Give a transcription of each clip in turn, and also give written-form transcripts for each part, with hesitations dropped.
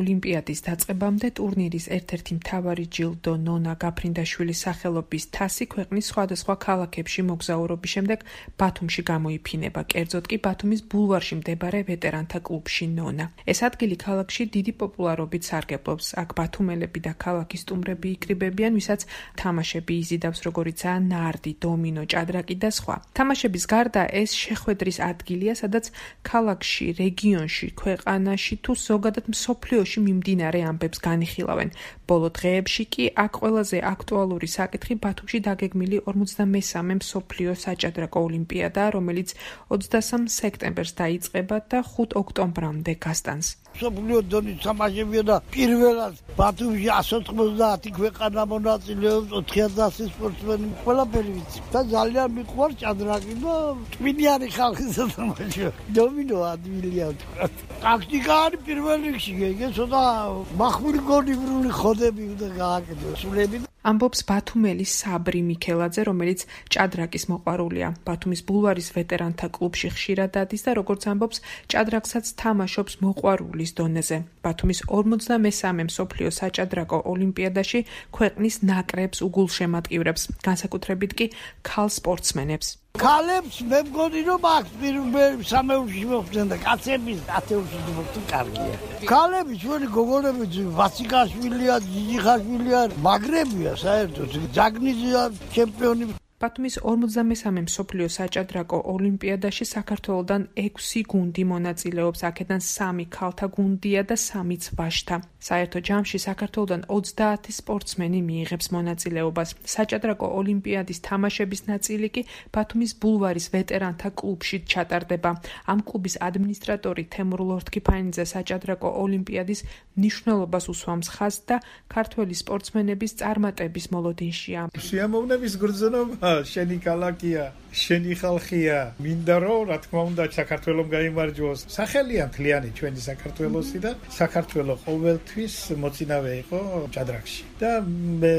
ოლიმპიადის დაწყებამდე ტურნირის ერთ-ერთი მთავარი ჯილდო ნონა გაფრინდაშვილის სახელობის თასი ქვეყნის სხვადასხვა ქალაქებში მოგზაურობის შემდეგ ბათუმში გამოიფინება, კერძოდ კი ბათუმის ბულვარში მდებარე ვეტერანთა კლუბში ნონა. ეს ადგილი ქალაქში დიდი პოპულარობით სარგებლობს. აქ ბათუმელები და ქალაქის სტუმრები იკრიბებიან, ვისაც თამაშები იზიდავს, როგორიცაა ნარდი, დომინო, ჭადრაკი და სხვა. თამაშების გარდა ეს შეხვედრის ადგილია, სადაც ქალაქში, რეგიონში, ქვეყანაში თუ ზოგადად მსოფლიოში მიმდინარე ამბებს განიხილავენ. ბოლო დღეებში კი აქ ყველაზე აქტუალური საკითხი ბათუმში დაგეგმილი 53-მე მსოფლიო საჭადრაკო ოლიმპიადაა, რომელიც 23 სექტემბერს დაიწყება და 5 ოქტომბრამდე გასტანს. მსოფლიო დონის თამაშებია და პირველად ბათუმში 190 ქვეყანა მონაწილეობს, 4000 სპორტსმენი, ყველაფერი ვიცი. და ძალიან მიყვარს ჭადრაკი და ტვინიანი ხალხი სათამაშო. დომინო ადვილია თქვა. ტაქტიკა არის პირველ რიგში, ეგ ცოტა מחმული გონივრული ხოდები უნდა გააკეთოს. სულები ამბობს ბათუმელი საბრი მიქელაძე, რომელიც ჭადრაკის მოყვარულია. ბათუმის ბულვარის ვეტერანთა კლუბში ხშირად დადის და როგორც ამბობს, ჭადრაკსაც თამაშობს მოყვარულის დონეზე. ბათუმის 53-მე მსოფლიო საჭადრაკო ოლიმპიადაში ქვეყნის ნაკრებს უგულშემატკივრებს, განსაკუთრებით კი ქალ სპორტსმენებს. ქალებს მე მგონი რომ აქ სამეულში მოხდნენ და კაცების ათეულში მოხდნენ კარგია. ქალები ჩვენი გოგონები ვასიკაშვილია, ჯიჯიხაშვილია, მაგრებია საერთოდ, ჯაგნიძია ჩემპიონი. ბათუმის 53-მე მსოფლიო საჭადრაკო ოლიმპიადაში საქართველოდან 6 გუნდი მონაწილეობს, აქედან 3 ქალთა გუნდია და 3 ვაჟთა. საერთო ჯამში საქართველოდან 30 სპორტსმენი მიიღებს მონაწილეობას. საჭადრაკო ოლიმპიადის თამაშების ნაწილი კი ბათუმის ბულვარის ვეტერანთა კლუბში ჩატარდება. ამ კლუბის ადმინისტრატორი თემურ ლორთქიფანიძე საჭადრაკო ოლიმპიადის მნიშვნელობას უსვამს ხაზს და ქართველი სპორტსმენების წარმატების მოლოდინშია. სიამოვნების გრძნობა შენი ქალაქია, შენი ხალხია. მინდა რომ რა თქმა უნდა საქართველოს გაიმარჯვოს. სახელია მთლიანი ჩვენი საქართველოსი და საქართველოს ყოველთვის მოწინავე იყო ჭადრაკში. და მე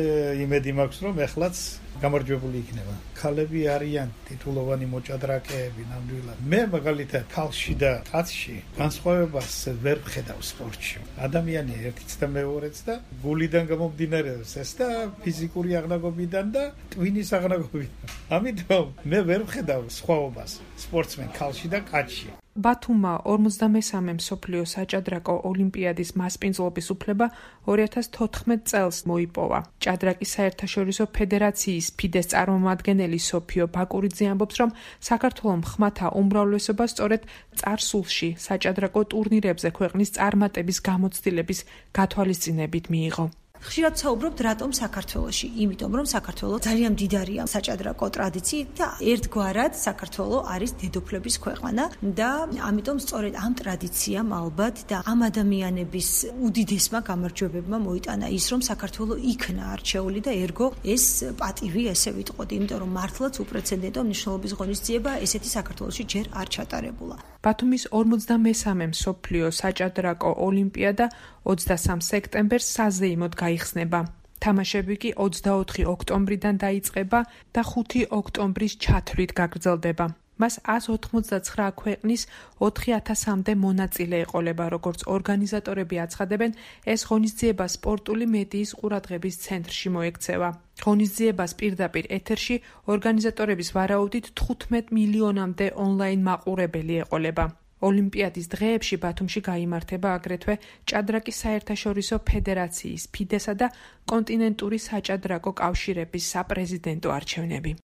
იმედი მაქვს რომ ეხლაც გამარჯვებული იქნება. ქალები არიან ტიტულოვანი მოჭადრაკეები ნამდვილად. მე მაგალითად ქალში და კაცში განსხვავებას ვერ ვხედავ სპორტში. ადამიანია ერთიც და მეორეც და გულიდან გამომდინარეობს ეს და ფიზიკური აღნაგობიდან და ტვინის აღნაგობიდან. ამიტომ მე ვერ ვხედავ სხვაობას სპორტსმენ ქალში და კაცში. ბათუმმა 53-მე მსოფლიო საჭადრაკო ოლიმპიადის მასპინძლობის უფლება 2014 წელს მოიპოვა. ჭადრაკის საერთაშორისო ფედერაციის ფიდეს წარმომადგენელი სოფიო ბაკურიძე ამბობს, რომ საქართველოს მხმათა უმრავლესობა სწორედ წარსულში საჭადრაკო ტურნირებზე ქვეყნის წარმატების გამოცდილების გათვალისწინებით მიიღო. ხშირად საუბრობთ რატომ საქართველოში, იმიტომ რომ საქართველო ძალიან მდიდარია საჭადრაკო ტრადიციით და ერთგვარად საქართველო არის დედოფლების ქვეყანა და ამიტომ სწორედ ამ ტრადიციამ ალბათ და ამ ადამიანების უდიდესმა გამარჯვებებმა მოიტანა ის, რომ საქართველო იქნა არჩეული და ერგო ეს პატივი ესე ვიტყოდი, იმიტომ რომ მართლაც უპრეცედენტო მნიშვნელობის ღონისძიება ესეთი საქართველოში ჯერ არ ჩატარებულა. ბათუმის 53-მე მსოფლიო საჭადრაკო ოლიმპიადა 23 სექტემბერს საზეიმოდ გაიხსნება. თამაშები კი 24 ოქტომბრიდან დაიწყება და 5 ოქტომბრის ჩათვლით გაგრძელდება. მას 189 ქვეყნის 4000-მდე მონაწილე ეყოლება, როგორც ორგანიზატორები აცხადებენ, ეს ღონისძიება სპორტული მედიის ყურადღების ცენტრში მოექცევა. ღონისძიებას პირდაპირ ეთერში ორგანიზატორების ვარაუდით 15 მილიონამდე ონლაინ მაყურებელი ეყოლება. ოლიმპიადის დღეებში ბათუმში გაიმართება აგრეთვე ჭადრაკის საერთაშორისო ფედერაციის, ფიდესა და კონტინენტური საჭადრაკო კავშირების საპრეზიდენტო არჩევნები.